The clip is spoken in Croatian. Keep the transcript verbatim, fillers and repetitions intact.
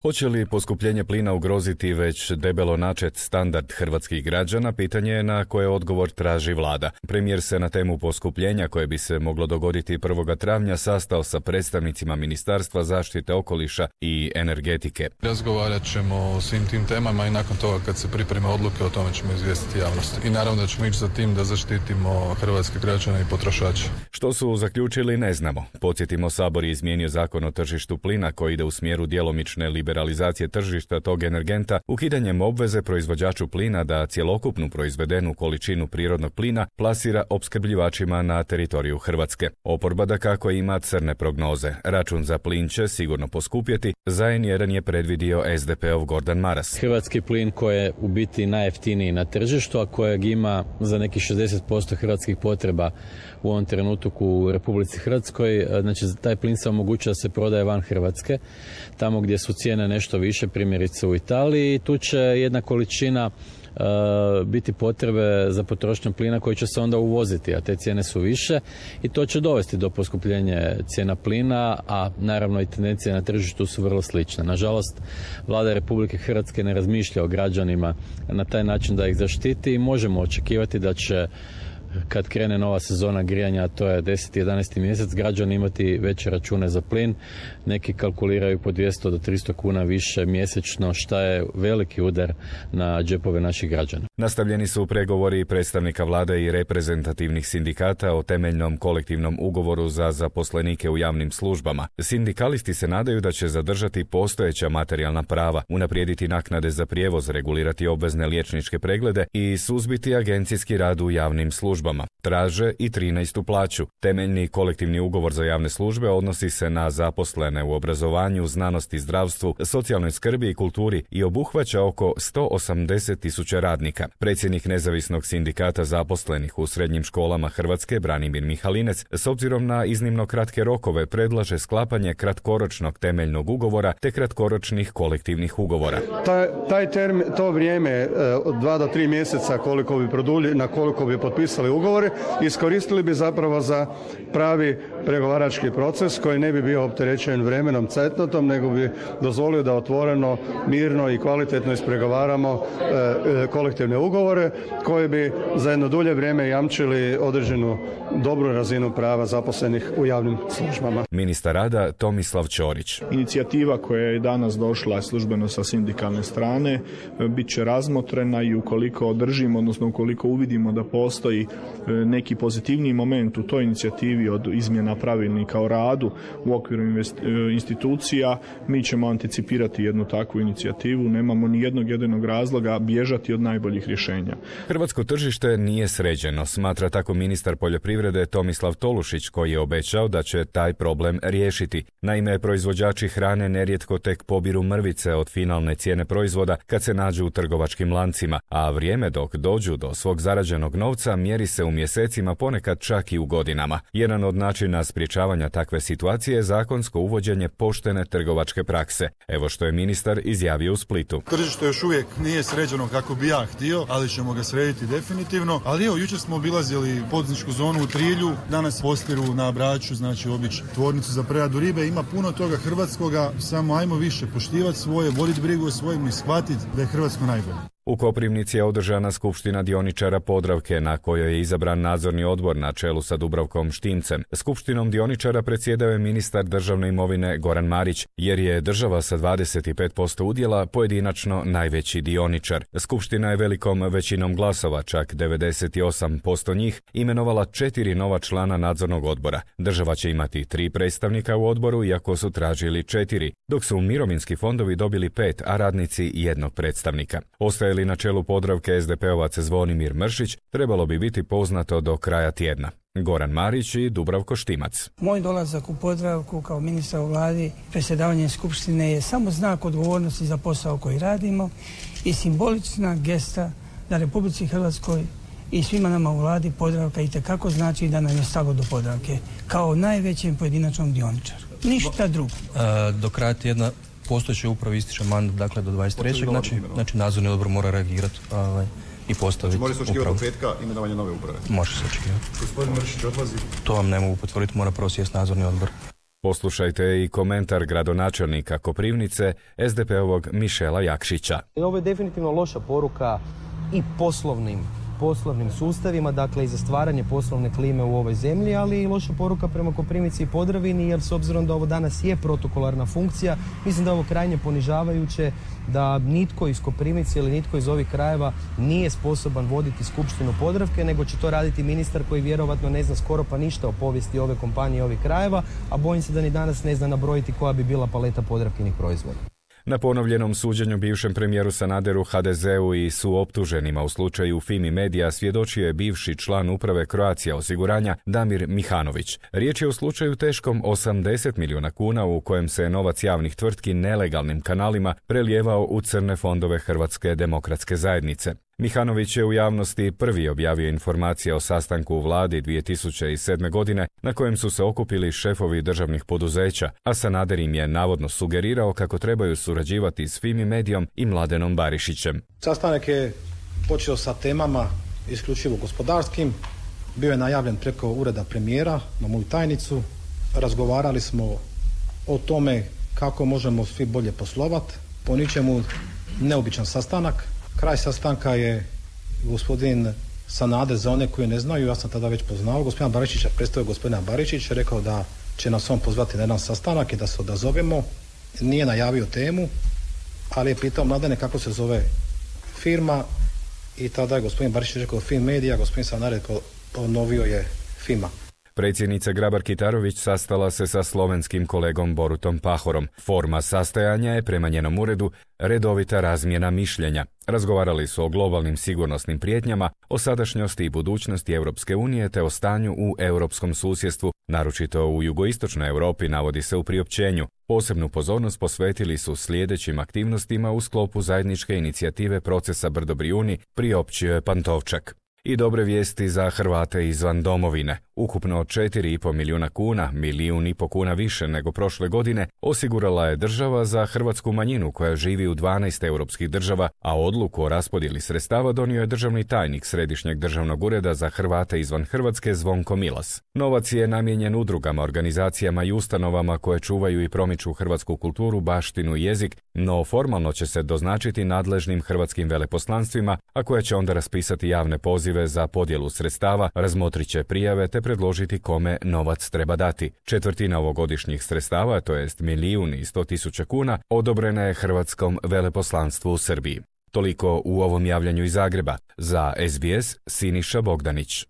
Hoće li poskupljenje plina ugroziti već debelo načet standard hrvatskih građana, pitanje je na koje odgovor traži vlada. Premijer se na temu poskupljenja koje bi se moglo dogoditi prvog travnja sastao sa predstavnicima Ministarstva zaštite okoliša i energetike. Razgovarat ćemo o svim tim temama i nakon toga kad se pripreme odluke o tome ćemo izvijestiti javnost. I naravno da ćemo ići za tim da zaštitimo hrvatske građane i potrošače. Što su zaključili ne znamo. Podsjetimo, Sabor je izmijenio zakon o tržištu plina koji ide u smjeru djelomične liberalizacije tržišta tog energenta, ukidanjem obveze proizvođaču plina da cjelokupnu proizvedenu količinu prirodnog plina plasira opskrbljivačima na teritoriju Hrvatske. Oporba dakako ima crne prognoze. Račun za plin će sigurno poskupjeti, za en jedan je predvidio es de pe ov Gordan Maras. Hrvatski plin koji je u biti najjeftiniji na tržištu, a kojeg ima za nekih šezdeset posto hrvatskih potreba u ovom trenutku u Republici Hrvatskoj, znači taj plin se omogućuje da se prodaje van Hrvatske, tamo gdje su cijene nešto više, primjerice u Italiji, tu će jedna količina Uh, biti potrebe za potrošnju plina koji će se onda uvoziti, a te cijene su više i to će dovesti do poskupljenja cijena plina, a naravno i tendencije na tržištu su vrlo slične. Nažalost, Vlada Republike Hrvatske ne razmišlja o građanima na taj način da ih zaštiti i možemo očekivati da će kad krene nova sezona grijanja, a to je deseti jedanaesti mjesec, građani imati veće račune za plin. Neki kalkuliraju po dvjesto do tristo kuna više mjesečno, što je veliki udar na džepove naših građana. Nastavljeni su pregovori predstavnika vlade i reprezentativnih sindikata o temeljnom kolektivnom ugovoru za zaposlenike u javnim službama. Sindikalisti se nadaju da će zadržati postojeća materijalna prava, unaprijediti naknade za prijevoz, regulirati obvezne liječničke preglede i suzbiti agencijski rad u javnim službama. Traže i trinaestu plaću. Temeljni kolektivni ugovor za javne službe odnosi se na zaposlene u obrazovanju, znanosti, zdravstvu, socijalnoj skrbi i kulturi i obuhvaća oko sto osamdeset tisuća radnika. Predsjednik nezavisnog sindikata zaposlenih u srednjim školama Hrvatske, Branimir Mihalinec, s obzirom na iznimno kratke rokove predlaže sklapanje kratkoročnog temeljnog ugovora te kratkoročnih kolektivnih ugovora. Taj, taj termin, to vrijeme od dva do tri mjeseca koliko bi produlji, na koliko bi potpisali ugovore, iskoristili bi zapravo za pravi pregovarački proces koji ne bi bio opterećen vremenom cetnotom, nego bi dozvolio da otvoreno, mirno i kvalitetno ispregovaramo e, kolektivne ugovore koji bi za jedno dulje vrijeme jamčili određenu dobru razinu prava zaposlenih u javnim službama. Ministar rada Tomislav Ćorić. Inicijativa koja je danas došla službeno sa sindikalne strane bit će razmotrena i ukoliko održimo, odnosno ukoliko uvidimo da postoji neki pozitivniji moment u toj inicijativi od izmjena pravilnika o radu u okviru institucija, mi ćemo anticipirati jednu takvu inicijativu. Nemamo ni jednog jedinog razloga bježati od najboljih rješenja. Hrvatsko tržište nije sređeno, smatra tako ministar poljoprivrede Tomislav Tolušić, koji je obećao da će taj problem riješiti. Naime, proizvođači hrane nerijetko tek pobiru mrvice od finalne cijene proizvoda kad se nađu u trgovačkim lancima, a vrijeme dok dođu do svog zarađenog novca mjeri se u mjesecima, ponekad čak i u godinama. Jedan od načina sprječavanja takve situacije je zakonsko uvođenje poštene trgovačke prakse. Evo što je ministar izjavio u Splitu. Tržište još uvijek nije sređeno kako bi ja htio, ali ćemo ga srediti definitivno. Ali evo, jučer smo obilazili poduzetničku zonu u Trilju, danas Postiru na Braču, znači obići tvornicu za preradu ribe. Ima puno toga hrvatskoga, samo ajmo više poštivati svoje, voditi brigu o svojim i shvatiti da je Hrvatsko najbolje. U Koprivnici je održana skupština dioničara Podravke na kojoj je izabran nadzorni odbor na čelu sa Dubravkom Štimcem. Skupštinom dioničara predsjedao je ministar državne imovine Goran Marić, jer je država sa dvadeset pet posto udjela pojedinačno najveći dioničar. Skupština je velikom većinom glasova, čak devedeset osam posto njih, imenovala četiri nova člana nadzornog odbora. Država će imati tri predstavnika u odboru, iako su tražili četiri, dok su mirovinski fondovi dobili pet, a radnici jednog predstavnika. Ostaje li na čelu Podravke es de pe ovac Zvonimir Mršić, trebalo bi biti poznato do kraja tjedna. Goran Marić i Dubravko Štimac. Moj dolazak u Podravku kao ministar u vladi, predsjedavanjem skupštine je samo znak odgovornosti za posao koji radimo i simbolična gesta da Republici Hrvatskoj i svima nama u vladi Podravka itekako znači da nam je stalo do Podravke kao najvećem pojedinačnom dioničaru. Ništa drugo. E, do kraja tjedna postojeće upravo ističe mandat, dakle do dvadeset trećeg Znači, znači nadzorni odbor mora reagirati ovaj, i postaviti upravu. Može se očekivati od petka imenovanje nove uprave? Može se očekivati. Gospodin Mršić odlazi? To vam ne mogu potvrditi, mora prvo sjesti nadzorni odbor. Poslušajte i komentar gradonačelnika Koprivnice, es de pe-ovog Mišela Jakšića. Ovo je definitivno loša poruka i poslovnim poslovnim sustavima, dakle i za stvaranje poslovne klime u ovoj zemlji, ali i loša poruka prema Koprivnici i Podravini, jer s obzirom da ovo danas je protokolarna funkcija, mislim da je ovo krajnje ponižavajuće, da nitko iz Koprivnice ili nitko iz ovih krajeva nije sposoban voditi Skupštinu Podravke, nego će to raditi ministar koji vjerovatno ne zna skoro pa ništa o povijesti ove kompanije i ovih krajeva, a bojim se da ni danas ne zna nabrojiti koja bi bila paleta Podravkinih proizvoda. Na ponovljenom suđenju bivšem premijeru Sanaderu, ha de ze-u i suoptuženima u slučaju Fimi Media svjedočio je bivši član uprave Croatia osiguranja Damir Mihanović. Riječ je o slučaju teškom osamdeset milijuna kuna u kojem se novac javnih tvrtki nelegalnim kanalima prelijevao u crne fondove Hrvatske demokratske zajednice. Mihanović je u javnosti prvi objavio informacije o sastanku u vladi dvije tisuće sedme. godine na kojem su se okupili šefovi državnih poduzeća, a Sanader im je navodno sugerirao kako trebaju surađivati s Fimi Medijom i Mladenom Barišićem. Sastanak je počeo sa temama isključivo gospodarskim, bio je najavljen preko ureda premijera na moju tajnicu, razgovarali smo o tome kako možemo svi bolje poslovati, po ničemu neobičan sastanak. Kraj sastanka je gospodin Sanader, za one koji ne znaju, ja sam tada već poznao gospodina Barišića, predstavio gospodina Barišića, rekao da će nas on pozvati na jedan sastanak i da se odazovemo. Nije najavio temu, ali je pitao Mladene kako se zove firma i tada je gospodin Barišić rekao Fimi Media, gospodin Sanader ponovio je Fima. Predsjednica Grabar-Kitarović sastala se sa slovenskim kolegom Borutom Pahorom. Forma sastajanja je prema njenom uredu redovita razmjena mišljenja. Razgovarali su o globalnim sigurnosnim prijetnjama, o sadašnjosti i budućnosti Europske unije te o stanju u europskom susjedstvu, naročito u jugoistočnoj Europi, navodi se u priopćenju. Posebnu pozornost posvetili su sljedećim aktivnostima u sklopu zajedničke inicijative procesa Brdo-Brijuni, priopćio je Pantovčak. I dobre vijesti za Hrvate izvan domovine. Ukupno četiri i pol milijuna kuna, milijun i pol kuna više nego prošle godine, osigurala je država za hrvatsku manjinu koja živi u dvanaest europskih država, a odluku o raspodjeli sredstava donio je državni tajnik Središnjeg državnog ureda za Hrvate izvan Hrvatske Zvonko Milas. Novac je namijenjen udrugama, organizacijama i ustanovama koje čuvaju i promiču hrvatsku kulturu, baštinu i jezik, no formalno će se doznačiti nadležnim hrvatskim veleposlanstvima, a koje će onda raspisati javne pozive za podjelu sredstava, razmotrit će prijave te predložiti kome novac treba dati. Četvrtina ovogodišnjih sredstava, to jest milijun i sto tisuća kuna, odobrena je hrvatskom veleposlanstvu u Srbiji. Toliko u ovom javljanju iz Zagreba. Za es be es Siniša Bogdanić.